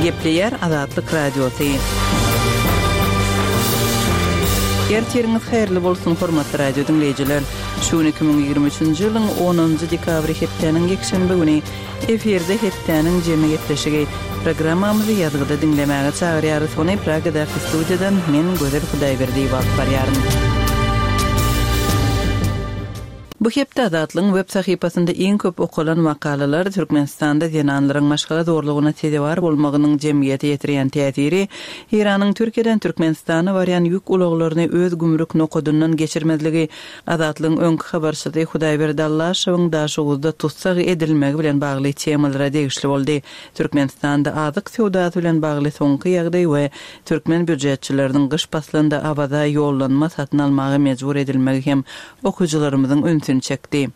Gepleýär Azatlyk Radiosy. Ertiriňiz haýyrly bolsun, hormatly radio diňleýjiler! Şu gün 2023-nji ýylyň onunjy dekabry hepdäniň ýekşenbe güni. Efirde hepdäniň jemi gepleşigi. Programmamyzy ýazgyda diňlemäge çagyrýarys. Ony Pragadaky studiýadan men, Gözel Hudaýberdiýewa alyp barýaryn. Bu hepde Azatlygyň web sahypasynda iň köp okalan makalalar Türkmenistanda zenanlaryň maşgala zorlugyna sezewar bolmagynyň jemgyýete ýetirýän täsiri, Eýranyň Türkiýeden Türkmenistana barýan ýük ulaglaryny öz gümrük nokadyndan geçirmezligi, Azatlygyň öňki habarçysy Hudaýberdi Allaşowyň Daşoguzda tussag edilmegi bilen bagly temalara degişli boldy. Türkmenistanda azyk söwdasy bilen bagly soňky ýagdaý we türkmen býujetçileriniň gyş paslynda Awaza ýollanma satyn almaga mejbur edilmegi hem okyjylarymyzyň ünsüni çekdi.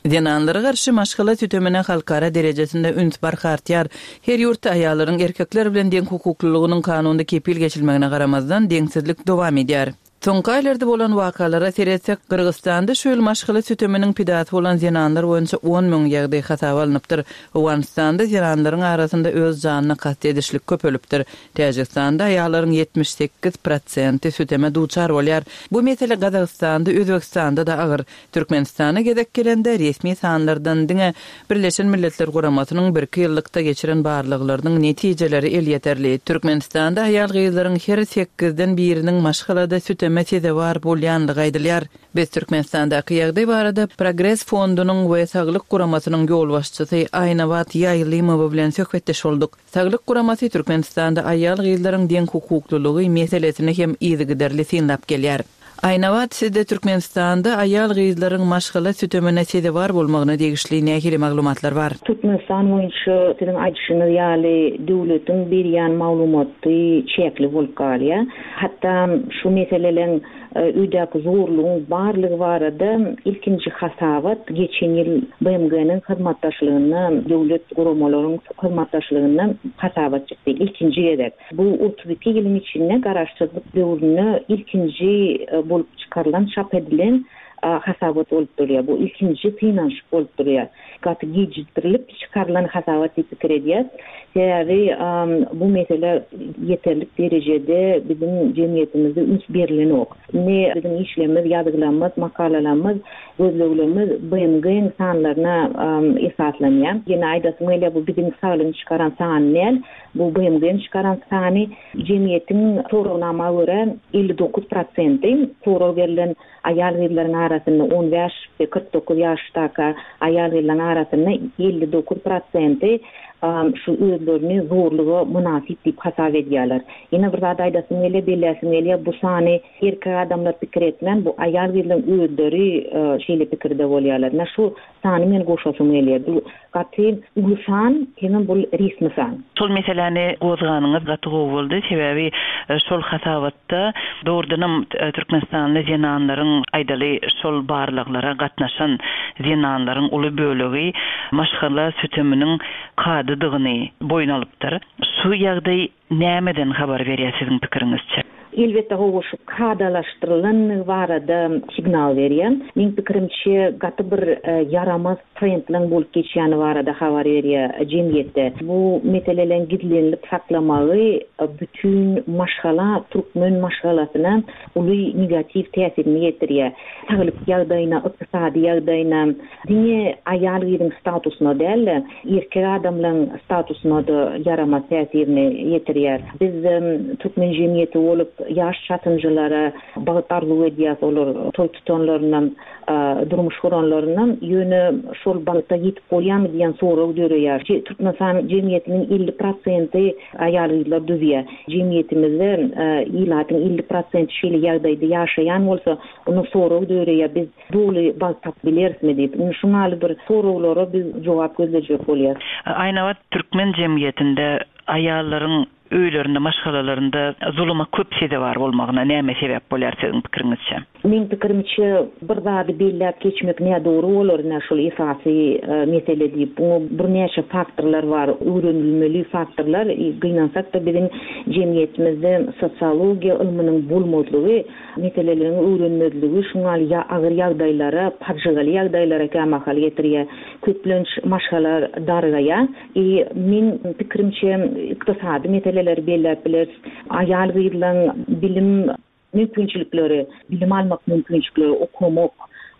Zenanlara garşy maşgala sütemine halkara derejesinde üns barha artýar. Her ýurtda aýallaryň erkekler bilen deňhukuklylygynyň kanunda kepil geçilmegine garamazdan, deňsizlik dowam edýär. Soňky aýlarda bolan wakalara seretsek, Gyrgyzystanda şu ýyl maşgala süteminiň pidasy bolan zenanlar boýunça 10,000 ýagdaý hasaba alnypdyr. Owganystanda zenanlaryň arasynda öz janyna kast edişlik köpelipdir. Täjigistanda aýallaryň 78 prosenti süteme duçar bolýar. Bu mesele Gazagystanda, Özbegistanda-da agyr. Türkmenistana gezek gelende, resmi sanlardan diňe Birleşen Milletler Guramasynyň birki ýyllykda geçiren barlaglarynyň netijeleri elýeterli. Türkmenistanda aýal-gyzlaryň her sekizden biriniň maşgalada süteme sezewar bolýanlygy aýdylýar. Biz Türkmenistandaky ýagdaý barada Progres fondunyň we Saglyk guramasynyň ýolbaşçysy Aýnabat Ýaýlymowa bilen söhbetdeş bolduk. Saglyk guramasy Türkmenistanda aýal-gyzlaryň deňhukuklylygy meselesini hem yzygiderli synlap gelýär. Aýnabat, sizde Türkmenistanda aýal-gyzlaryň maşgala sütemine sezewar bolmagyna degişli nähili maglumatlar bar? Türkmenistan boýunça siziň aýdyşyňyz ýaly döwletiň berýän maglumaty çäkli bolup galýar. Hatda şu meseleleň öýdäki zorlugyň barlygy barada ilkinji hasabat geçen ýyl BMG-niň hyzmatdaşlygynda döwlet guramalaryň hyzmatdaşlygynda hasabat çykdy ilkinji gezek. Bu 32 ýylyň içinde garaşsyzlyk döwründe ilkinji bolup çykarylan, çap edilen hasabat bolup durýar. Bu ilkinji synanyşyk bolup durýar. Gaty gijikdirilip çykarylan hasabat diýip pikir edýäs. Sebäbi bu mesele ýeterlik derejede biziň jemgyýetimizde üns berilenok. Indi biziň işlerimiz, ýazgylarymyz, makalalarymyz, gözleglerimiz BMG-niň sanlaryna esaslanýar. Ýene aýdasym gelýär, bu biziň saglygyň çykaran sany däl. Bu BMG-niň çykaran sany jemgyýetiň soragnama görä 59 prosenti sorag berlen aýal-gyzlaryň arasynda on bäş we 49 ýaşdaka aýal-gyzlaryň arasynda 59 prosenti şu özlerini zorluga mynasyp diýip hasap edýärler. Ýene bir zat aýdasym gelýär, belläsim gelýär, bu sany erkek adamlar pikir etmän, bu aýal-gyzlaryň özleri şeýle pikirde bolýarlar. Ine şu sany men goşasym gelýär. Bu Gaty uly san, hemem bul resmi san. Şol meseläni gozganyňyz gaty gowy boldy. Sebäbi şol hasabatda dogrudanam türkmenistanly zenanlaryň, aýdaly, şol barlaglara gatnaşan zenanlaryň uly bölegi maşgala süteminiň kadadygyny boýun alypdyr. Şu ýagdaý Nämeden habar berýär siziň pikiriňizçe? Elbetde hawa şu kadalaşdyrylanlygy barada signal berýär. Meň pikirimçe gaty bir ýaramaz trendleň bolup geçýäni barada habar berýär jemgyýetde. Bu meseleleň gizlenilip saklamagy bütin maşgala türkmen maşgalasyna uly negatiw täsirini ýetirýär. Saglyk ýagdaýyna, ykdysady ýagdaýyna, diňe aýal-gyzyň statusyna däl-de, erkek adamlaryň statusyna-da ýaramaz täsirini ýetirýär. Biz türkmen jemgyýeti bolup, ýaş çatynjylara bagt arzuw edýäris, olar toý tutanlaryndan, durmuş guranlaryndan, ýöne şol bagta ýetip bolýarmy diýen sorag döreýär. Türkmenistan jemgyýetiniň 50 prosenti aýal-gyzlar düzýär. Jemgyýetimizde ilatyň 50 prosenti şeýle ýagdaýda ýaşaýan bolsa, onda sorag döreýär, biz doly bagt tapyp bilerismi diýip. Indi şuň ýaly bir soraglara biz jogap gözlejek bolýas. Aýnabat, türkmen jemgyýetinde aýallaryň. Öýlerinde, maşgalalarynda zuluma köp sezewar bolmagyna näme sebäp bolýar siziň pikiriňizçe? Meň pikirimçe, bir zady belläp geçmek nädogry bolar, ine şol esasy mesele diýip. Buňa birnäçe faktorlar bar, öwrenilmeli faktorlar. Gynansak-da biziň jemgyýetimizde sosiologiýa ylmynyň bolmazlygy, meseleleriň öwrenmezligi şuň ýaly agyr ýagdaýlara, pajygaly ýagdaýlara kämahal getirýär. Köplenç maşgala dargaýar. I meň pikirimçe ykdysady meseleleri belläp bileris. Aýal-gyzlaň bilim mümkinçilikleri, bilim almak mümkinçilikleri, okamak,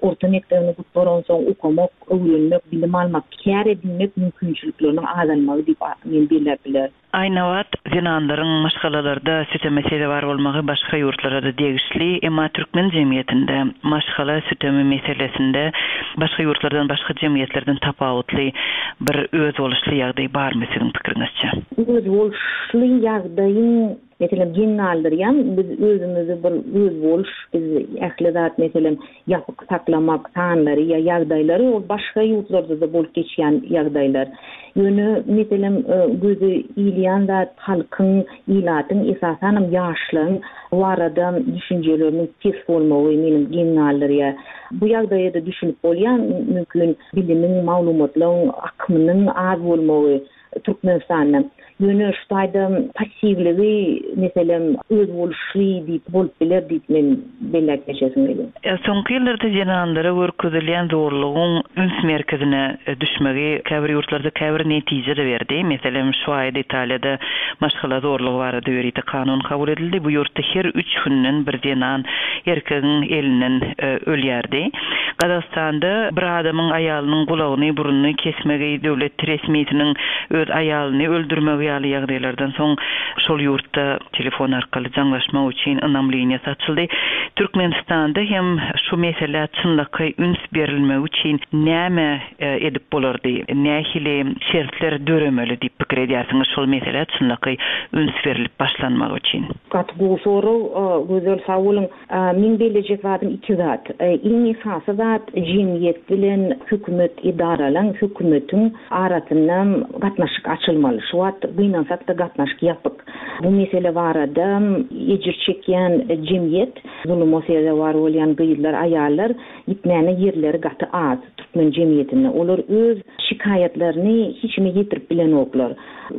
orta mekdebini gutaransoň okamak, öwrenmek, bilim almak, kär edinmek mümkinçilikleriniň azalmagy diýip men belläp bilerin. Aýnabat, zenanlaryň maşgalalarda süteme sezewar bolmagy başga ýurtlara-da degişli, emma türkmen jemgyýetinde maşgala sütemi meselesinde başga ýurtlardan, başga jemgyýetlerden tapawutly bir özboluşly ýagdaý barmy siziň pikiriňizçe? Özboluşly ýagdaýyň, meselem, geň galdyrýan, biz özümizi bir özboluş, biz ähli zat, meselem, ýapyk saklamak sanlary ýa ýagdaýlary ol başga ýurtlarda-da bolup geçýän ýagdaýlar. Ýöne, meselem, göze ilýän zat halkyň, ilatyň, esasanam ýaşlaryň bu barada düşünjeleriniň pes bolmagy meniň geň galdyrýar. Bu ýagdaýa-da düşünip bolýar, mümkin bilimiň, maglumatlaryň akymynyň az bolmagy. Türkmenistanda. Ýöne şu taýda passiwligi, meselem, özboluşly diýip bolup biler diýip men belläp geçesim gelýär. Soňky ýyllarda zenanlara görkezilýän zorlugyň üns merkezine düşmegi käbir ýurtlarda käbir netije-de berdi. Meselem, şu aýda Italiýada maşgala zorlugy barada ýörite kanun kabul edildi. Bu ýurtda her üç günden bir zenan erkegiň elinden ölýärdi. Gazagystanda bir adamyň aýalynyň gulagyny, burnuny kesmegi, döwlet resmisiniň öz aýalyny öldürmegi ýaly ýagdaýlardan soň şol ýurtda telefon arkaly jaňlaşmak üçin ynam liniýasy açyldy. Türkmenistanda hem şu meselä çynlakaý üns berilmegi üçin näme edip bolardy, nähili şertler döremeli diýip pikir edýärsiňiz şol meselä çynlakaý üns berlip başlanmagy üçin? Gaty gowy sorag, Gözel sag boluň. Meň bellejek zadym iki zat. Iň esasy zat jemgyýet bilen hökümet edaralaň, hökümetiň arasynda gatnaşyk açylmaly. Şu wagt gynansak-da gatnaşyk ýapyk. Bu mesele barada ejir çekýän jemgyýet, zuluma sezewar bolýan gyzlar, aýallar gitmäne ýerleri gaty az türkmen jemgyýetinde. Olar öz şikaýatlaryny hiç kime ýetirip bilenoklar.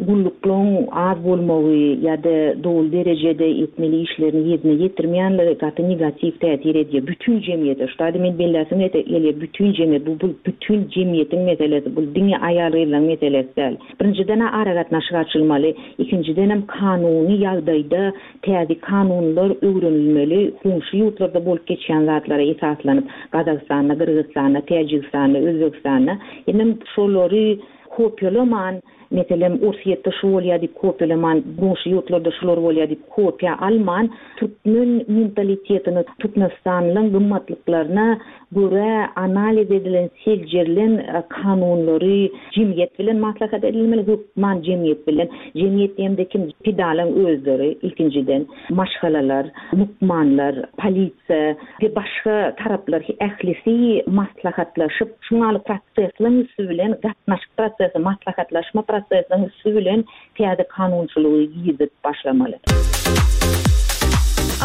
Gulluklaryň az bolmagy ýa-da doly derejede etmeli işlerini ýerine ýetirmeýänligi gaty negatiw täsir edýär bütin jemgyýete. Şu taýda men belläsim gelýär, bütin jemgyýet, bu bu bütin jemgyýetiň meselesi, bu diňe aýal-gyzlaryň meselesi däl. Birinjiden-ä aragatnaşyk açylmaly, ikinjidenem kanuny ýagdaýda täze kanunlar öwrenilmeli, goňşy ýurtlarda bolup geçýän zatlara esaslanyp, Gazagystanda, Gyrgyzystanda, Täjigistanda, Özbegistanda, hemem şolary Kopiýalaman, meselem, Orsýetde şu bolýar diýip kopiýalaman, goňşy ýurtlarda şular bolýar diýip kopiýa alman, türkmen mentalitetine, türkmenistanlyň gymmatlyklaryna görä analiz edilen, seljerilen kanunlary jemgyýet bilen maslahat edilmeli, hökman jemgyýet bilen. Jemgyýet diýemde kim? Pidalaň özleri ilkinjiden, maşgalalar, lukmanlar, polisiýa we başga taraplar ählisi maslahatlaşyp, şuňaly prosesleň üsti bilen, gatnaşyk prosesi, maslahatlaşma prosesiniň üsti bilen täze kanunçylygy girizip başlamaly.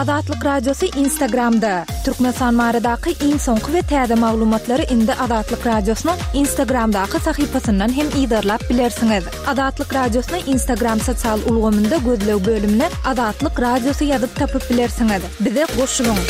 Azatlyk Radiosy Instagramda, Türkmenistan baradaky iň soňky we täze maglumatlary indi Azatlyk Radiosynyň Instagramdaky sahypasyndan hem yzarlap bilersiňiz. Azatlyk Radiosyny Instagram sosial ulgamynda gözleg bölümine Azatlyk Radiosy ýazyp tapyp bilersiňiz. Bize goşulyň!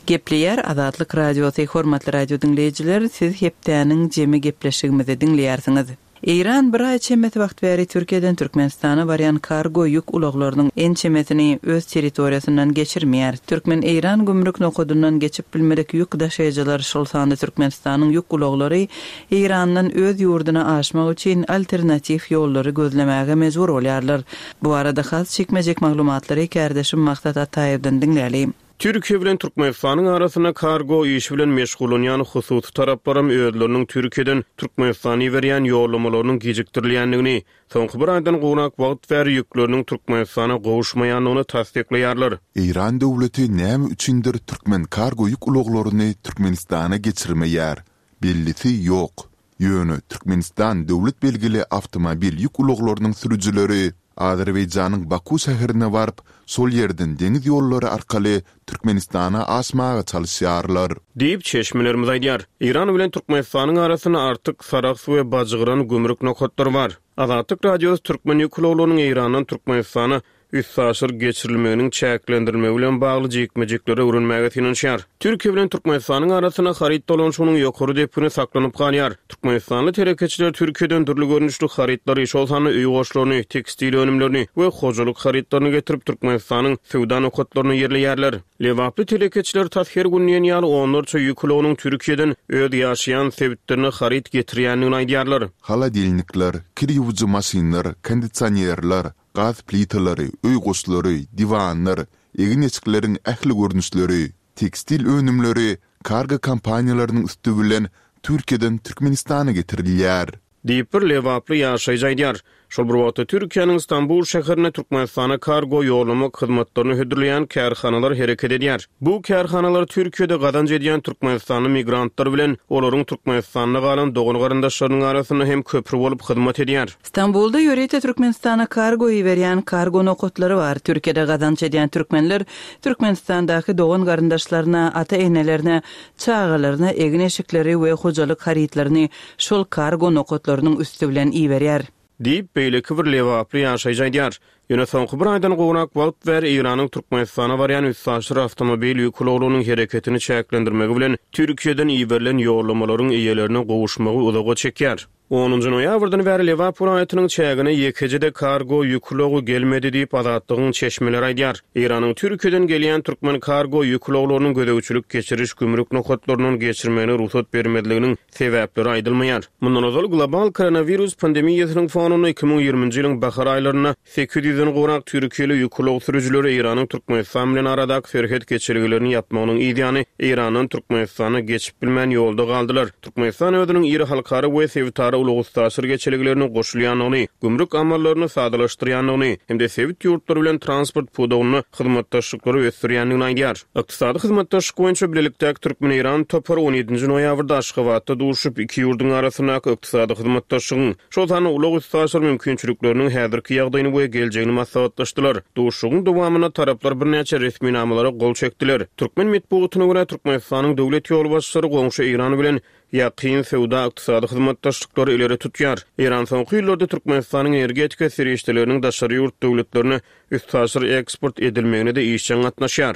Gepleýär Azatlyk Radiosy, Hormatly radio diňleýjiler, siz hepdäniň jemi gepleşigimizi diňleýärsiňiz. Eýran bir aý çemesi wagt bäri Türkiýeden Türkmenistana barýan kargo ýük ulaglarynyň ençemesini öz territoriýasyndan geçirmeýär. Türkmen-eýran gümrük nokadyndan geçip bilmedik ýük daşaýjylar, şol sanda Türkmenistanyň ýük ulaglary Eýrandan öz ýurduna aşmak üçin alternatiw ýollary gözlemäge mejbur bolýarlar. Bu barada has jikme-jik maglumatlary kärdeşim Maksat Ataýewden diňläli. Türkiýe bilen Türkmenistanyň arasynda kargo işi bilen meşgullanýan hususy taraplaram özleriniň Türkiýeden Türkmenistana iberýän ýollamalarynyň gijikdirilýändigini, soňky bir aýdan gowrak wagt bäri ýükleriniň Türkmenistana gowuşmaýandygyny tassyklaýarlar. Eýran döwleti näme üçindir türkmen kargo ýük ulaglaryny Türkmenistana geçirmeýär? Bellisi ýok. Ýöne Türkmenistan döwlet belgili awtomobil ýük ulaglarynyň sürüjileri Azerbaýjanyň Baku şäherine baryp, şol ýerden deňiz ýollary arkaly Türkmenistana aşmaga çalyşýarlar. Diýip, çeşmelerimiz aýdýar. Eýran bilen Türkmenistanyň arasynda Artyk, Sarahs we Bajgyran gümrük nokatlary bar. Azatlyk Radiosy türkmen ýük ulaglarynyň Eýrandan Türkmenistana üstaşyr geçirilmeginiň çäklendirilmegi bilen bagly jikme-jikleri öwrenmäge synanyşýar. Türkiýe bilen Türkmenistanyň arasynda haryt dolanyşygynyň ýokary depgini saklanyp galýar. Türkmenistanly telekeçiler Türkiýeden dürli görnüşli harytlary, şol sanda öý goşlaryny, tekstil önümlerini we hojalyk harytlaryny getirip, Türkmenistanyň söwda nokatlarynda ýerleýärler. Lebaply telekeçiler tas her gün diýen ýaly onlarça ýük ulagynyň Türkiýeden öz ýaşaýan sebitlerine haryt getirýändigini aýdýarlar. Holodilnikler, kir ýuwujy maşynlar, kondisionerler, gaz plitalary, öý goşlary, diwanlar, egin-eşikleriň ähli görnüşleri, tekstil önümleri kargo kompaniýalarynyň üsti bilen Türkiýeden Türkmenistana getirilýär. Diýip, bir lebaply ýaşaýjy aýdýar. Şol bir wagtda, Türkiýäniň Stambul şäherinde Türkmenistana kargo ýollamak hyzmatlaryny hödürleýän kärhanalar hereket edýär. Bu kärhanalar Türkiýede gazanç edýän türkmenistanly migrantlar bilen olaryň Türkmenistanda galan dogan-garyndaşlarynyň arasynda hem köpri bolup hyzmat edýär. Stambulda ýörite Türkmenistana kargo iberýän kargo nokatlary bar. Türkiýede gazanç edýän türkmenler Türkmenistandaky dogan-garyndaşlaryna, ata-enelerine, çagalaryna egin-eşikleri we hojalyk harytlaryny şol kargo nokatlarynyň üsti bilen iberýär. Diýip, beýleki bir lebaply ýaşaýjy aýdýar. Ýöne soňky bir aýdan gowrak wagt bäri Eýranyň Türkmenistana barýan üstaşyr awtomobil ýük ulaglarynyň hereketini çäklendirmegi bilen Türkiýeden iberilen ýollamalaryň eýelerine gowuşmagy uzaga çekýär. Onunjy noýabrdan bäri Lebap welaýatynyň çägine ýekeje-de kargo ýük ulagy gelmedi diýip, Azatlygyň çeşmeleri aýdýar. Eýranyň Türkiýeden gelýän türkmen kargo ýük ulaglarynyň gözegçilik-geçiriş gümrük nokatlaryndan geçirmegine rugsat bermezliginiň sebäpleri aýdylmaýar. Mundan ozal, global koronawirus pandemiýasynyň fonunda 2020-nji ýylyň bahar aýlarynda 800-den gowrak türkiýeli ýük ulag sürüjileri Eýranyň Türkmenistan bilen aradaky serhet geçelgelerini ýapmagynyň yzýany Eýrandan Türkmenistana geçip bilmän ýolda galdylar. Türkmenistan özüniň iri halkara we sebitara ulag-üstaşyr geçelgelerine goşulýandygyny, gümrük amallaryny sadalaşdyrýandygyny hem-de sebit ýurtlary bilen transport pudagynda hyzmatdaşlyklary ösdürýändigini aýdýar. Ykdysady hyzmatdaşlyk boýunça bilelikdäki türkmen-eýran topary on ýedinji noýabrda Aşgabatda duşup, iki ýurduň arasyndaky ykdysady hyzmatdaşlygyň, şol sanda ulag-üstaşyr mümkinçilikleriniň häzirki ýagdaýyny we geljegini maslahatlaşdylar. Duşuşygyň dowamynda taraplar birnäçe resminamalara gol çekdiler. Türkmen metbugatyna görä, Türkmenistanyň döwlet ýolbaşçylary goňşy Eýran bilen ýakyn söwda-ykdysady hyzmatdaşlyklary ileri tutýar. Eýran soňky ýyllarda Türkmenistanyň energetika serişdeleriniň daşary ýurt döwletlerine üstaşyr eksport edilmegine-de işjeň gatnaşýar.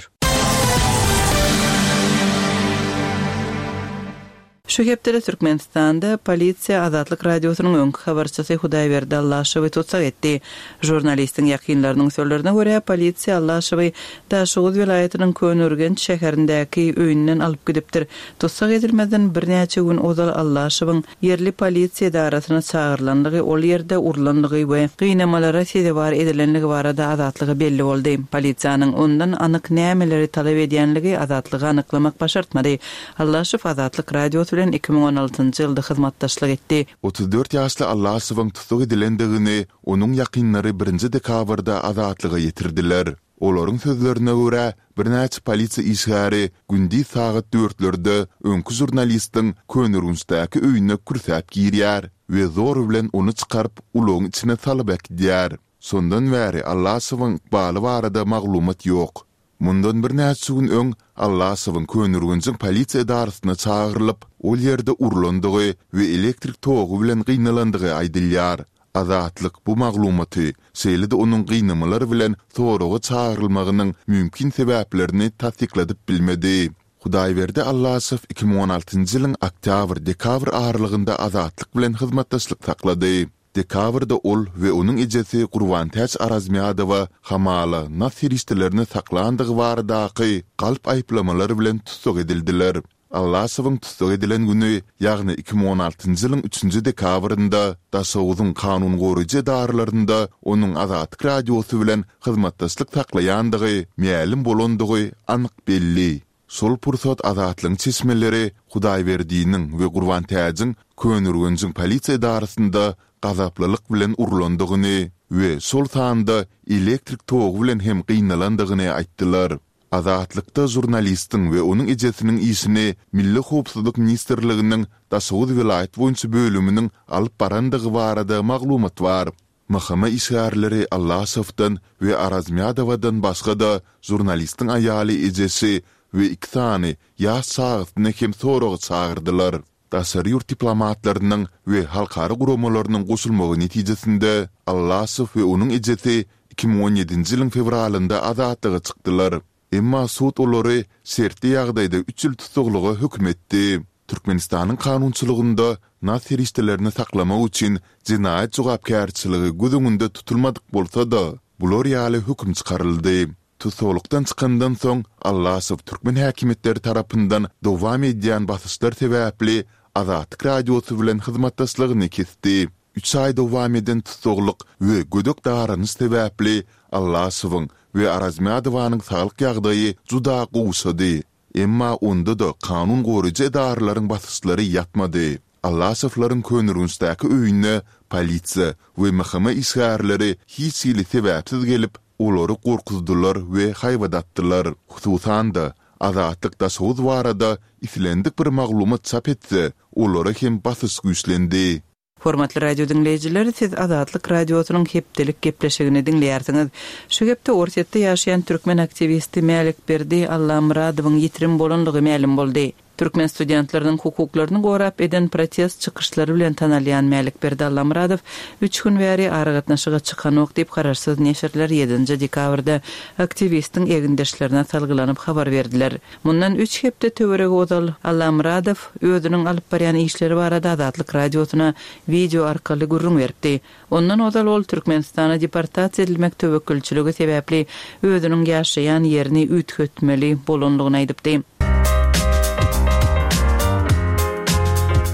Şu hepdede Türkmenistanda polisiýa Azatlyk Radiosynyň öňki habarçysy Hudaýberdi Allaşowy tussag etdi. Žurnalistiň ýakynlarynyň sözlerine görä, polisiýa Allaşowy Daşoguz welaýatynyň Köneürgenç şäherindäki öýünden alyp gidipdir. Tussag edilmezden birnäçe gün ozal Allaşowyň ýerli polisiýa edarasyna çagyrylandygy, ol ýerde urlandygy we gynamalara sezewar edilenligi barada Azatlyga belli boldy. Polisiýanyň ondan anyk nämeleri talap edýänligi Azatlyga anyklamak başartmady. Allaşow Azatlyk Radiosy bilen 2016-njy ýylda hyzmatdaşlyk etdi. 34 ýaşly Allaşowyň tussag edilendigini onuň ýakynlary birinji dekabrda Azatlyga ýetirdiler. Olaryň sözlerine görä, birnäçe polisiýa işgäri gündiz sagat dörtlerde öňki žurnalistiň Köneürgençdäki öýüne kürsäp girýär we zor bilen ony çykaryp, ulagyň içine salyp äkidýär. Şondan bäri Allaşowyň ykbaly barada maglumat ýok. Mundan birnäçe gün öň Allaşowyň Köneürgenjiň polisiýa edarasyna çagyrylyp, ol ýerde urlandygy we elektrik togy bilen gynalandygy aýdylýar. Azatlyk bu maglumaty, şeýle-de onuň gynamalar bilen soraga çagyrylmagynyň mümkin sebäplerini tassykladyp bilmedi. Hudaýberdi Allaşow 2016-njy ýylyň oktýabr-dekabr aralygynda Azatlyk bilen hyzmatdaşlyk saklady. Dekabrda ol we onuň ejesi Gurbantäç Arazmýadowa hamala nas serişdelerini saklandygy baradaky galp aýyplamalar bilen tussag edildiler. Allaşowyň tussag edilen güni, ýagny 2016-njy ýylyň üçünji dekabrynda Daşoguzyň kanun goraýjy edaralarynda onuň Azatlyk Radiosy bilen hyzmatdaşlyk saklaýandygy mälim bolandygy anyk belli. Şol pursat Azatlygyň çeşmeleri Hudaýberdiniň we Gurbantäjiň Köneürgenjiň polisiýa edarasynda gazaplylyk bilen urlandygyny we şol sanda elektrik togy bilen hem gynalandygyny aýtdylar. Azatlykda žurnalistiň we onuň ejesiniň işini Milli howpsuzlyk ministrliginiň Daşoguz welaýat boýunça bölüminiň alyp barandygy barada maglumat bar. MHM işgärleri Allaşowdan we Arazmýadowadan başga-da žurnalistiň aýaly ejesi we iki sany ýaş çagasyny hem soraga çagyrdylar. Daşary ýurt diplomatlarynyň we halkara guramalarynyň goşulmagy netijesinde Allaşow we onuň ejesi 2017-nji ýylyň fewralynda azatlyga çykdylar. Emma sud olary şertli ýagdaýda üç ýyl tussaglyga höküm etdi. Türkmenistanyň kanunçylygynda nas serişdelerini saklamak üçin jenaýat jogapkärçiligi göz öňünde tutulmadyk bolsa-da, bular ýaly höküm çykaryldy. Tussaglykdan çykandan soň, Allaşow türkmen häkimiýetleri tarapyndan dowam edýän basyşlar sebäpli Azatlyk Radiosy bilen hyzmatdaşlygyny kesdi. Üç aý dowam eden tussaglyk we gödek daranyş sebäpli Allaşowyň we Arazmyadowanyň saglyk ýagdaýy juda gowşady. Emma onda-da kanun goraýjy edaralaryň basyşlary ýatmady. Allaşowlaryň Köneürgençdäki öýüne polisiýa we MHM işgärleri hiç hili sebäpsiz gelip, olary gorkuzdylar we haýbat atdylar. Hususan-da, Azatlyk Daşoguz barada islendik bir maglumat çap etse, olara hem basyş güýçlendi. Hormatly radio diňleýjiler, siz Azatlyk Radiosynyň hepdelik gepleşigini diňleýärsiňiz. Şu hepde Orsýetde ýaşaýan türkmen aktiwisti Mälikberdi Allamyradowyň ýitirim bolandygy mälim boldy. Türkmen studentleriniň hukuklaryny gorap eden protest çykyşlary bilen tanalýan Mälikberdi Allamyradow üç gün bäri aragatnaşyga çykanok diýip, garaşsyz neşirler ýedinji dekabrda aktiwistiň egindeşlerine salgylanyp habar berdiler. Mundan üç hepde töweregi ozal Allamyradow özüniň alyp barýan işleri barada Azatlyk Radiosyna wideo arkaly gürrüň beripdi. Ondan ozal ol Türkmenistana deportasiýa edilmek töwekgelçiligi sebäpli özüniň ýaşaýan ýerini üýtgetmeli bolandygyny aýdypdy.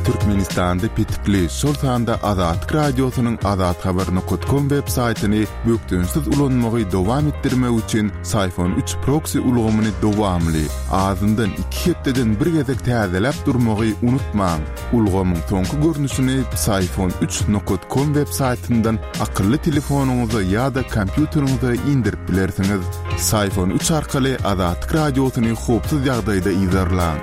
Türkmenistanda petikli, şol sanda Azatlyk Radiosynyň azathabar nokat kom web saýtyny bökdençsiz ulanmagy dowam etdirmek üçin Syfon üç proksi ulgamyny dowamly, azyndan iki hepdeden bir gezek täzeläp durmagy unutmaň. Ulgamyň soňky görnüşini Psiphon üç nokat kom web saýtyndan akylly telefonyňyza ýa-da kompýuteriňize indirip bilersiňiz. Psiphon üç arkaly Azatlyk Radiosyny howpsuz ýagdaýda yzarlaň.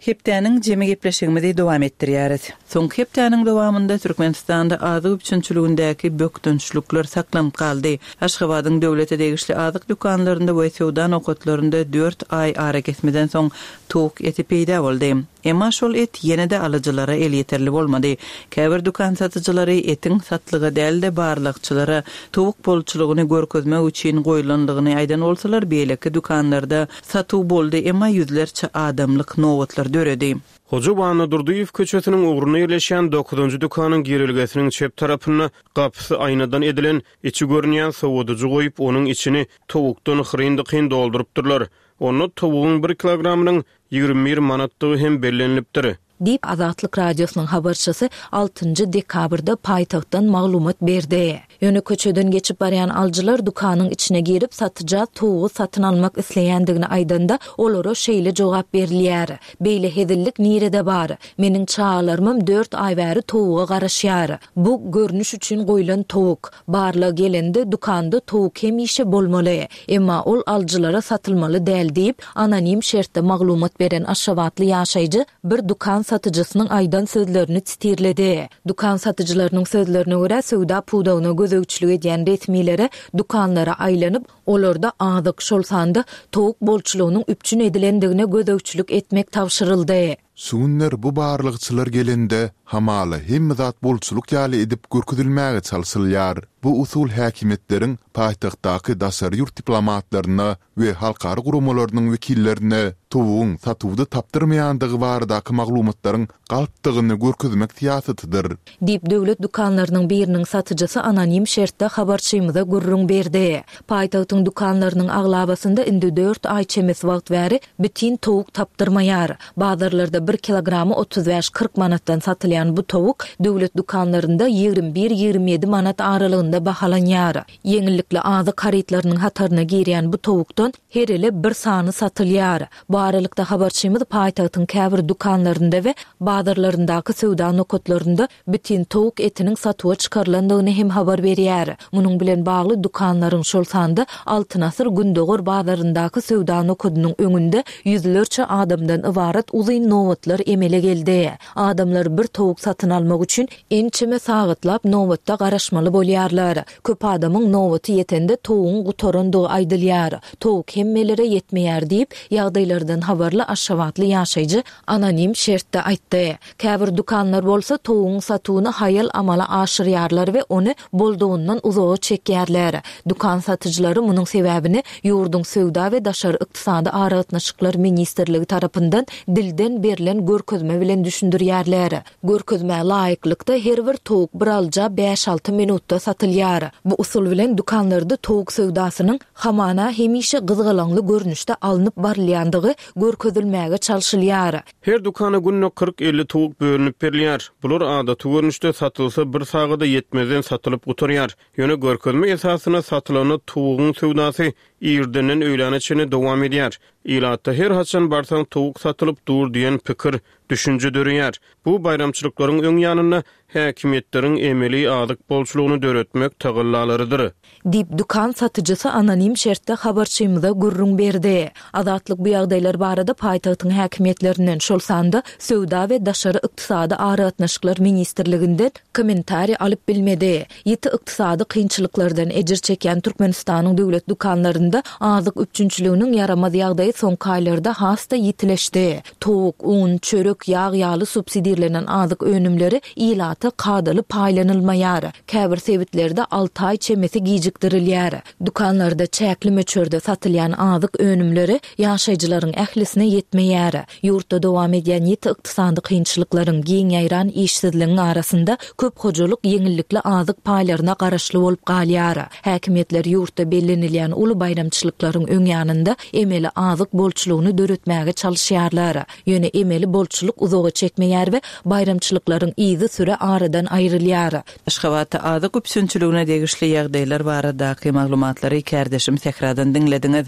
Hepdäniň jemi gepleşigimizi dowam etdirýäris. Soňky hepdäniň dowamynda Türkmenistanda azyk üpjünçiligindäki bökdençlikler saklanyp galdy. Aşgabadyň döwlete degişli azyk dükanlarynda we söwda nokatlarynda dört aý arakesmeden soň towuk eti peýda boldy. Emma şol et ýene-de alyjylara elýeterli bolmady. Käbir dükan satyjylary etiň satlyga däl-de barlagçylara towuk bolçulygyny görkezmek üçin goýlandygyny aýdan bolsalar, beýleki dükanlarda satuw boldy, emma ýüzlerçe adamlyk nobatlar döredi. Hoja Annadurdyýew köçesiniň ugrunda ýerleşýän dokuzynjy dükanyň girelgesiniň çep tarapynda gapysy aýnadan edilen, içi görünýän sowadyjy goýup, onuň içini towukdan hyryn-dykyn doldurypdyrlar. Onda towugyň bir kilogramynyň 21 manatdygy hem bellenilipdir. Diýip, Azatlyk Radiosynyň habarçysy altynjy dekabrda paýtagtdan maglumat berdi. Ýöne köçeden geçip barýan alyjylar dükanyň içine girip, satyja towugy satyn almak isleýändigini aýdanda, olara şeýle jogap berilýär, Beýle hezillik nirede bar? Meniň çagalarymam dört aý bäri towuga garaşýar. Bu, görnüş üçin goýlan towuk. Barlag gelende, dükanda towuk hemişe bolmaly. Emma ol alyjylara satylmaly däl diýip, anonim şertde maglumat beren aşgabatly ýaşaýjy bir dükan satyjysynyň aýdan sözlerini titirledi. Dükan satyjylarynyň sözlerine görä, söwda pudagyna gözegçilik edýän resmilere dükanlara aýlanyp, olarda azyk, şol sanda towuk bolçulygynyň üpjün edilendigine gözegçilik etmek tabşyryldy. Şu günler bu barlagçylar gelende, hamala hemme zat bolçulyk ýaly edip görkezilmäge çalşylýar. Bu usul häkimiýetleriň paýtagtdaky daşary ýurt diplomatlaryna we halkara guramalarynyň wekillerine towugyň satuwda tapdyrmaýandygy baradaky maglumatlaryň galpdygyny görkezmek syýasatydyr. Diýip, döwlet dükanlarynyň biriniň satyjysy anonim şertde habarçymyza gürrüň berdi. Paýtagtyň dükanlarynyň aglabasynda indi dört aý çemesi wagt bäri bitin towuk tapdyrmaýar. Bazarlarda bir kilogramy 35-40 manatdan satylýan bu towuk döwlet dükanlarynda 21-27 manat aralygynda bahalanýar. Ýeňillikli azyk harytlarynyň hataryna girýän bu towukdan her ele bir sany satylýar. Bu. aralykda habarçymyz paýtagtyň käbir dükanlarynda we bazarlaryndaky söwda nokatlarynda bitin towuk etiniň satuwa çykarylandygyny hem habar berýär. Munuň bilen bagly dükanlaryň, şol sanda Altyn asyr Gündogar bazaryndaky söwda nokadynyň öňünde ýüzlerçe adamdan ybarat uzyn nobatlar emele geldi. Adamlar bir towuk satyn almak üçin ençeme sagatlap nobatda garaşmaly bolýarlar. Köp adamyň nobaty ýetende towugyň gutarandygy aýdylýar. Towuk hemmelere ýetmeýär diýip, ýagdaýlardan habarly aşgabatly ýaşaýjy anonim şertde aýtdy. Käbir dükanlar bolsa towugyň satuwyny haýal amala aşyrýarlar we ony boldugyndan uzaga çekýärler. Dükan satyjylary munuň sebäbini ýurduň Söwda we daşary ykdysady aragatnaşyklar ministrligi tarapyndan dilden berlen görkezme bilen düşündirýärler. Görkezmä laýyklykda, her bir towuk bir alyja bäş-alty minutda satylýar. Bu usul bilen dükanlarda towuk söwdasynyň hamana hemişe gyzgalaňly görnüşde alnyp barylýandygy görkezilmäge çalşylýar. Her dükana günde 40-50 towuk bölünip berilýär. Bular adaty görnüşde satylsa bir sagada ýetmezden satylyp gutarýar. Ýöne görkezme esasynda satylanda towugyň söwdasy irdenden öýläne çenli dowam edýär. Ilatda her haçan barsaň towuk satylyp dur diýen pikir, düşünje döreýär. Bu baýramçylyklaryň öň ýanynda häkimiýetleriň emeli azyk bolçulygyny döretmek tagallalarydyr. Diýip, dükan satyjysy anonim şertde habarçymyza gürrüň berdi. Azatlyk bu ýagdaýlar barada paýtagtyň häkimiýetlerinden, şol sanda Söwda we daşary ykdysady aragatnaşyklar ministrliginden kommentariý alyp bilmedi. Ýiti ykdysady kynçylyklardan ejir çekýän Türkmenistanyň döwlet dükanlarynda azyk üpjünçiliginiň ýaramaz ýagdaýy soňky aýlarda has-da ýitileşdi. Towuk, un, çörek, ýag ýaly subsidirlenen azyk önümleri ilata kadaly paýlanylmaýar. Käbir sebitlerde alty aý çemesi gijikdirilýär. Dükanlarda çäkli möçberde satylýan azyk önümleri ýaşaýjylaryň ählisine ýetmeýär. Ýurtda dowam edýän ýiti ykdysady kynçylyklaryň, giň ýaýran işsizligiň arasynda köp hojalyk ýeňillikli azyk paýlaryna garaşly bolup galýar. Häkimiýetler ýurtda bellenilýän uly baýramçylyklaryň öň ýanynda emeli azyk bolçulygyny döretmäge çalyşýarlar. Ýöne emeli bolçulyk uzaga çekmeýär we baýramçylyklaryň yzysüre aradan aýrylýar. Aşgabatda azyk üpjünçiligine degişli ýagdaýlar baradaky maglumatlary kärdeşim Sähradan diňlediňiz.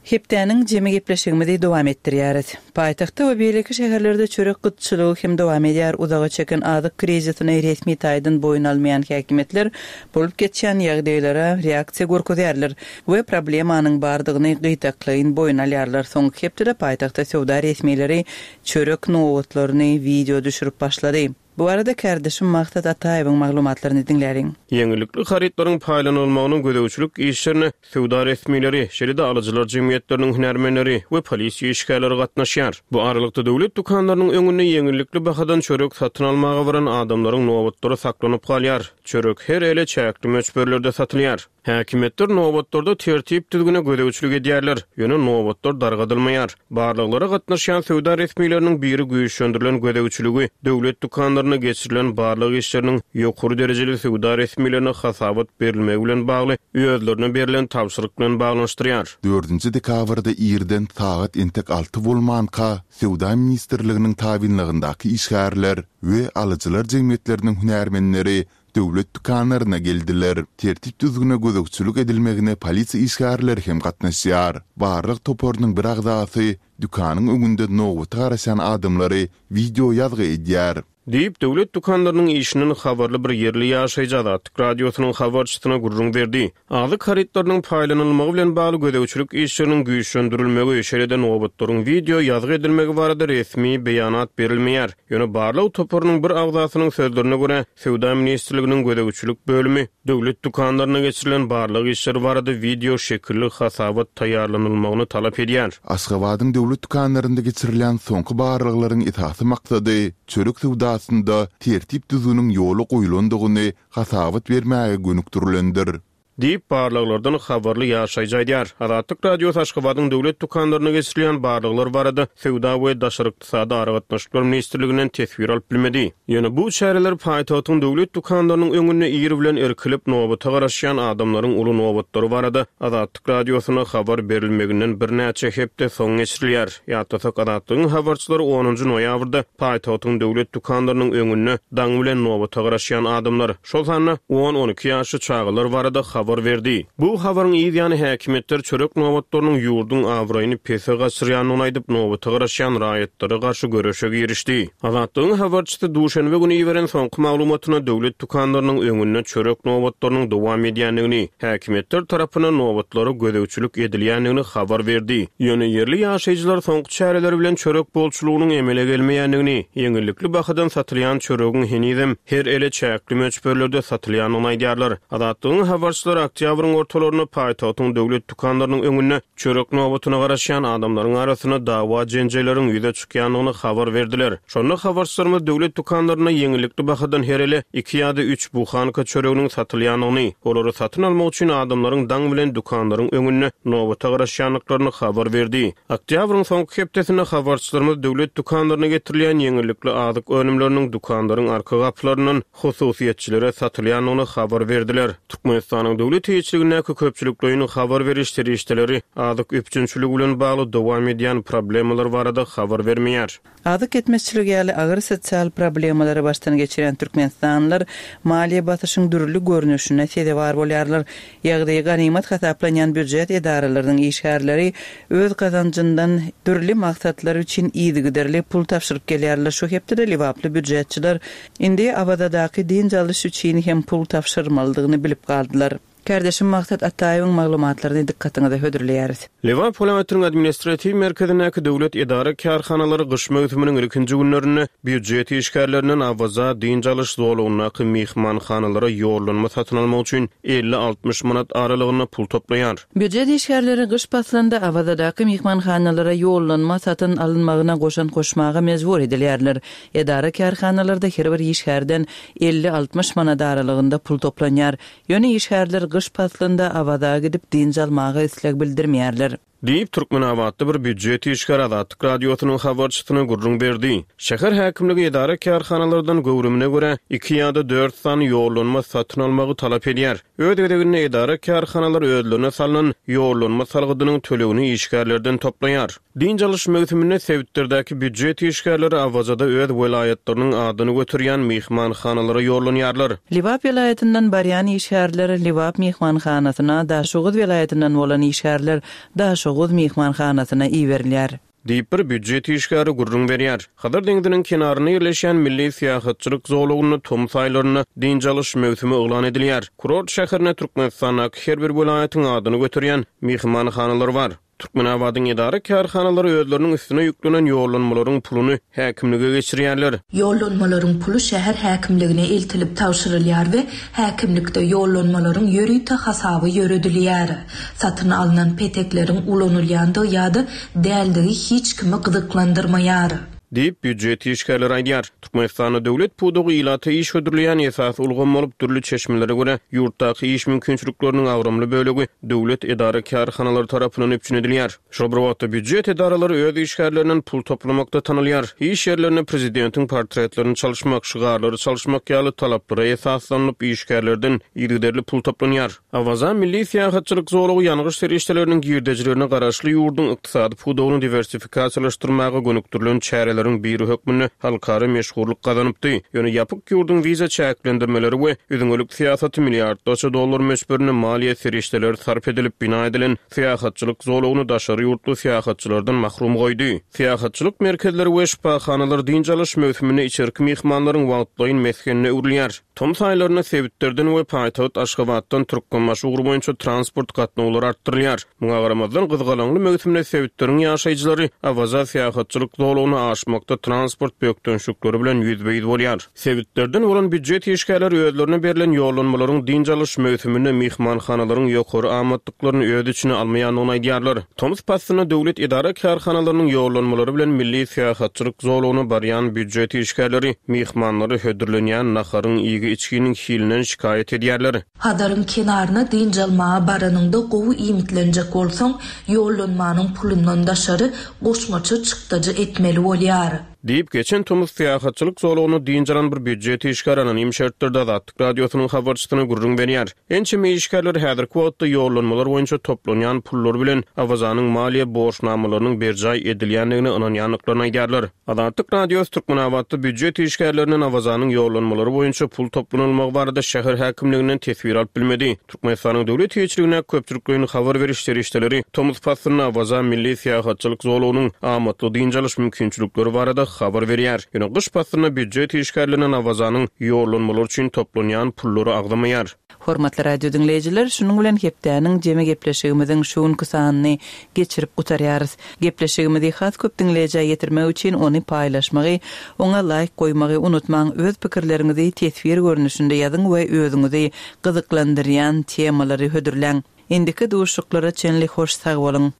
Hepdäniň jemi gepleşigimizi dowam etdirýäris. Paýtagtda we beýleki şäherlerde çörek gytçylygy hem dowam edýär. Uzaga çeken azyk krizisini resmi taýdan boýun almaýan häkimiýetler bolup geçýän ýagdaýlara reaksiýa görkezýärler we problemanyň bardygyny gytaklaýyn boýun alýarlar. Soňky hepdede paýtagtda söwda resmileri çörek nobatlaryny wideo düşürip başlady. Bu barada kärdeşim Maksat Ataýewiň maglumatlaryny diňläliň. Ýeňillikli harytlaryň paýlanylmagynyň gözegçilik işlerine söwda resmileri, şeýle-de alyjylar jemgyýetleriniň hünärmenleri we polisiýa işgärleri gatnaşýar. Bu aralykda, döwlet dükanlarynyň öňünde ýeňillikli bahadan çörek satyn almaga baran adamlaryň nobatlary saklanyp galýar. Çörek her ele çäkli möçberlerde satylýar. Häkimiýetler nobatlarda tertip-düzgüne gözegçilik edýärler, ýöne nobatlar dargadylmaýar. Barlaglara gatnaşýan söwda resmileriniň biri güýçlendirilen gözegçiligi döwlet dükanlarynda geçirilen barlag işleriniň ýokary derejeli söwda resmilerine hasabat berilmegi bilen bagly özlerine berlen tabşyryk bilen baglanyşdyrýar. Dördünji dekabrda irden sagat entek alty bolmanka, Söwda ministrliginiň tabynlygyndaky işgärler we alyjylar jemgyýetleriniň hünärmenleri döwlet dükanlaryna geldiler. Tertip-düzgüne gözegçilik edilmegine polisiýa işgärleri hem gatnaşýar. Barlag toparynyň bir agzasy dükanyň öňünde nobata garaşýan adamlary wideo ýazgy edýär. Diýip, döwlet dükanlarynyň işinden habarly bir ýerli ýaşaýjy Azatlyk Radiosynyň habarçysyna gürrüň berdi. Azyk harytlarynyň paýlanylmagy bilen bagly gözegçilik işleriniň güýçlendirilmegi, şeýle-de nobatlaryň wideo ýazgy edilmegi barada resmi beýanat berilmeýär. Ýöne barlag toparynyň bir agzasynyň sözlerine görä, Söwda ministrliginiň gözegçilik bölümi döwlet dükanlarynda geçirilen barlag işleri barada wideo şekilli hasabat taýýarlanylmagyny talap edýär. Aşgabadyň döwlet dükanlarynda geçirilýän soňky barlaglaryň esasy maksady çörek söwdasynda tertip-düzgüniň ýola goýlandygyny hasabat bermäge gönükdirilendir. Diýip, barlaglardan habarly ýaşaýjy aýdýar. Azatlyk Radiosy Aşgabadyň döwlet dükanlarynda geçirilýän barlaglar barada Söwda we daşary ykdysady aragatnaşyklar ministrliginden teswir alyp bilmedi. Ýöne bu çäreler paýtagtyň döwlet dükanlarynyň öňünde ir bilen irkilip, nobata garaşýan adamlaryň uly nobatlary barada Azatlyk Radiosyna habar berilmeginden birnäçe hepde soň geçirilýär. Ýatlasak, Azatlygyň habarçylary onunjy noýabrda paýtagtyň döwlet dükanlarynyň öňünde daň bilen nobata garaşýan adamlar, şol sanda on-on iki ýaşly çagalar barada habar. habar berdi. Bu habaryň yz ýany häkimiýetler çörek nobatlarynyň ýurduň abraýyny pese gaçyrýandygyny aýdyp, nobata garaşýan raýatlara garşy göreşe girişdi. Azatlygyň habarçysy duşenbe güni iberen soňky maglumatynda döwlet dükanlarynyň öňünde çörek nobatlarynyň dowam edýändigini, häkimiýetler tarapyndan nobatlara gözegçilik edilýändigini habar berdi. Ýöne ýerli ýaşaýjylar soňky çäreler bilen çörek bolçulygynyň emele gelmeýändigini, ýeňillikli bahadan satylýan çöregiň henizem her ele çäkli möçberlerde satylýandygyny aýdýarlar. Azatlygyň habarçylary oktýabryň ortalarynda paýtagtyň döwlet dükanlarynyň öňünde çörek nobatyna garaşýan adamlaryň arasynda dawa-jenjelleriň ýüze çykýandygyny habar berdiler. Şonda habarçylarymyz döwlet dükanlarynda ýeňillikli bahadan her ele iki ýa-da üç buhanka çöreginiň satylýandygyny, olary satyn almak üçin adamlaryň daň bilen dükanlaryň öňünde nobata garaşýandyklaryny habar berdi. Oktýabryň soňky hepdesinde habarçylarymyz döwlet dükanlaryna getirilýän ýeňillikli azyk önümleriniň dükanlaryň arka gapylaryndan hususyýetçilere satylýandygyny habar berdiler. Türkmenistanyň döwlet eýeçiligindäki köpçülikleýin habar beriş serişdeleri azyk üpjünçiligi bilen bagly dowam edýän problemalar barada habar bermeýär. Azyk ýetmezçiligi ýaly agyr sosial problemalary başdan geçirýän türkmenistanlylar maliýe basyşyň dürli görnüşine sezewar bolýarlar. Ýagdaýy ganymat hasaplanýan býujet edaralarynyň işgärleri öz gazanjyndan dürli maksatlar üçin yzygiderli pul tabşyryp gelýärler. Şu hepdede lebaply býujetçiler Indi Awazadaky dynç alyş üçin hem pul tabşyrmalydygyny bilip galdylar. Kärdeşim Maksat Ataýewiň maglumatlaryny dykgatyňyza hödürleýäris. Lebap welaýatynyň administratiw merkezindäki döwlet edara-kärhanalary gyş möwsüminiň ilkinji günlerinde býujet işgärlerinden Awaza dynç alyş zolagyndaky myhmanhanalara ýollanma satyn almak üçin 50-60 manat aralygynda pul toplaýar. Býujet işgärleri gyş paslynda Awazadaky myhmanhanalara ýollanma satyn alynmagyna goşant goşmaga mejbur edilýärler. Edara-kärhanalarda her bir işgärden 50-60 manat aralygynda pul toplanýar. Ýöne işgärler gyş paslynda Awaza gidip dynç almaga isleg bildirmeýärler. Diýip, türkmenabatly bir býujet işgäri Azatlyk Radiosynyň habarçysyna gürrüň berdi. Şäher häkimligi edara-kärhanalardan göwrümine görä, iki ýa-da dört sany ýollanma satyn almagy talap edýär. Öz gezeginde edara-kärhanalar özlerine salnan ýollanma salgydynyň tölegini işgärlerden toplaýar. Dynç alyş möwsüminde sebitlerdäki býujet işgärleri Awazada öz welaýatlarynyň adyny göterýän myhmanhanalara ýollanýarlar. Lebap welaýatyndan barýan işgärler Lebap myhmanhanasyna, Daşoguz welaýatyndan bolan işgärler Daşoguz myhmanhanasyna iberilýär. Diýip, bir býujet işgäri gürrüň berýär. Hazar deňziniň kenarynda ýerleşýän milli syýahatçylyk zolagynda tomus aýlarynda dynç alyş möwsümi yglan edilýär. Kurort şäherinde Türkmenistandaky her bir welaýatyň adyny göterýän myhmanhanalar bar. Türkmenabadyň edara-kärhanalary özleriniň üstüne ýüklenen ýollanmalaryň puluny häkimlige geçirýärler. Ýollanmalaryň puly şäher häkimligine eltilip tabşyrylýar we häkimlikde ýollanmalaryň ýörite hasaby ýöredilýär. Satyn alnan petekleriň ulanylýandygy ýa-da däldigi hiç kimi gyzyklandyrmaýar. Diýip, býujet işgärleri aýdýar. Türkmenistanda döwlet pudagy ilata iş hödürleýän esasy ulgam bolup, dürli çeşmelere görä, ýurtdaky iş mümkinçilikleriniň agramly bölegi döwlet edara-kärhanalary tarapyndan üpjün edilýär. Şol bir wagtda, býujet edaralary öz işgärlerinden pul toplamakda tanalýar. Iş ýerlerinde prezidentiň portretlerini çalyşmak, şygarlary çalyşmak ýaly talaplara esaslanylyp, işgärlerden yzygiderli pul toplanýar. Awaza milli syýahatçylyk zolagy ýangyç serişdeleriniň girdejilerine garaşly ýurduň ykdysady pudagyny diwersifikasiýalaşdyrmaga gönükdirilen çäreleriň biri hökmünde halkara meşhurlyk gazanypdy. Ýöne ýapyk ýurduň wiza çäklendirmeleri we üzňelik syýasaty milliardlarça dollar möçberinde maliýe serişdeleri sarp edilip bina edilen syýahatçylyk zolagyny daşary ýurtly syýahatçylardan mahrum goýdy. Syýahatçylyk merkezleri we şypahanalar dynç alyş möwsüminde içerki myhmanlaryň wagtlaýyn mesgenine öwrülýär. Tomus aýlarynda sebitlerden we paýtagt Aşgabatdan Türkmenbaşy ugry boýunça transport gatnawlary artdyrylýar. Muňa garamazdan, gyzgalaňly möwsümde sebitleriň ýaşaýjylary Awaza syýahatçylyk zolagyna aşmakda transport bökdençlikleri bilen ýüzbe-ýüz bolýar. Sebitlerden bolan býujet işgärleri özlerine berlen ýollanmalaryň dynç alyş möwsüminde myhmanhanalaryň ýokary amatlyklaryny öz içine almaýandygyny aýdýarlar. Tomus paslynda döwlet edara-kärhanalarynyň ýollanmalary bilen milli syýahatçylyk zolagyna barýan býujet işgärleri myhmanlara hödürlenýän naharyň, iýgi-içginiň hilinden şikaýat edýärler. Hazaryň kenaryna dynç almaga baranyňda gowy iýmitlenjek bolsaň, ýollanmanyň pulundan daşary goşmaça çykdajy etmeli bolýar. Diýip, geçen tomus syýahatçylyk zolagynda dynç alan bir býujet işgäri anonim şertlerde Azatlyk Radiosynyň habarçysyna gürrüň berýär. Ençeme işgärler häzirki wagtda ýollanmalar boýunça toplanýan pullar bilen Awazanyň maliýe borçnamalarynyň berjaý edilýändigine ynanýandyklaryny aýdýarlar. Azatlyk Radiosy Türkmenabatda býujet işgärlerinden Awazanyň ýollanmalary boýunça pul toplanylmagy barada şäher häkimliginden teswir alyp bilmedi. Türkmenistanyň döwlet eýeçiligindäki köpçülikleýin habar beriş serişdeleri tomus paslynda Awaza milli syýahatçylyk zolagynyň amatly dynç alyş mümkinçilikleri barada habar berýär. Ýöne gyş paslynda býujet işgärlerinden Awazanyň ýollanmalary üçin toplanýan pullary agzamaýar. Hormatly radio diňleýjiler, şunuň bilen hepdäniň jemi gepleşigimiziň şu günki sanyny geçirip gutarýarys. Gepleşigimizi has köp diňleýjä ýetirmek üçin ony paýlaşmagy, oňa laýk goýmagy unutmaň, öz pikirleriňizi teswir görnüşinde ýazyň we özüňizi gyzyklandyrýan temalary hödürläň. Indiki duşuşyklara çenli hoş sag boluň!